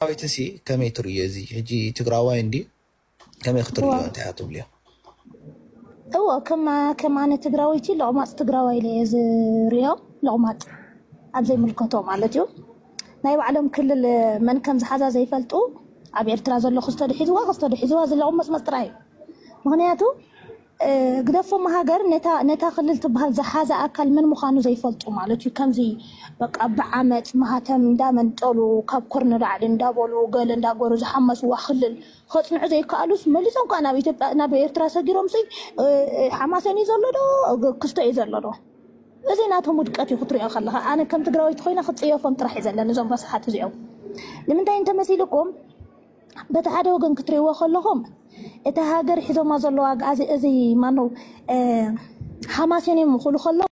ትግራዋይቲ ሲ ከመይ ትርእዮ? እዚ ሕጂ ትግራዋይ እንዲ ከመይ ክትርእዮ? እንታይ እያ ትብልዮ? እዎ፣ ከማ ከማነ ትግራወይቲ ለቑማፅ ትግራዋይ ኢለ እየ ዝሪኦ። ለቑማፅ ኣብ ዘይምልከቶ ማለት እዩ። ናይ ባዕሎም ክልል መን ከም ዝሓዛ ዘይፈልጡ፣ ኣብ ኤርትራ ዘሎ ክስቶ ድሒዝዋ ክስቶ ድሒዝዋ ዝለቑመፅመፅ ጥራይ እዩ። ምክንያቱ ግደፎም ሃገር ነታ ክልል ትበሃል ዝሓዘ ኣካል መን ምዃኑ ዘይፈልጡ ማለት እዩ። ከምዚ በቃ ብዓመፅ ማህተም እንዳመንጠሉ ካብ ኮር ንላዕሊ እንዳበሉ ገለ እንዳገሩ ዝሓመስዋ ክልል ከፅንዑ ዘይከኣሉስ መሊሶም ከዓ ናብ ኢትዮጵያ ናብ ኤርትራ ሰጊሮም ሲ ሓማሰን እዩ ዘሎ ዶ ክስቶ እዩ ዘሎ ዶ? እዚ ናቶም ውድቀት እዩ ክትሪኦ ከለካ። ኣነ ከም ትግራወይቲ ኮይነ ክፅየፎም ጥራሕ እዩ ዘለኒ እዞም ረስሓት እዚኦም። ንምንታይ እንተመሲልኩም በቲ ሓደ ወገን ክትሪእዎ ከለኹም እቲ ሃገር ሒዞማ ዘለዋ ኣግኣዚ እዚ ማነው ሓማሴን እዮም ክብሉ ከለዉ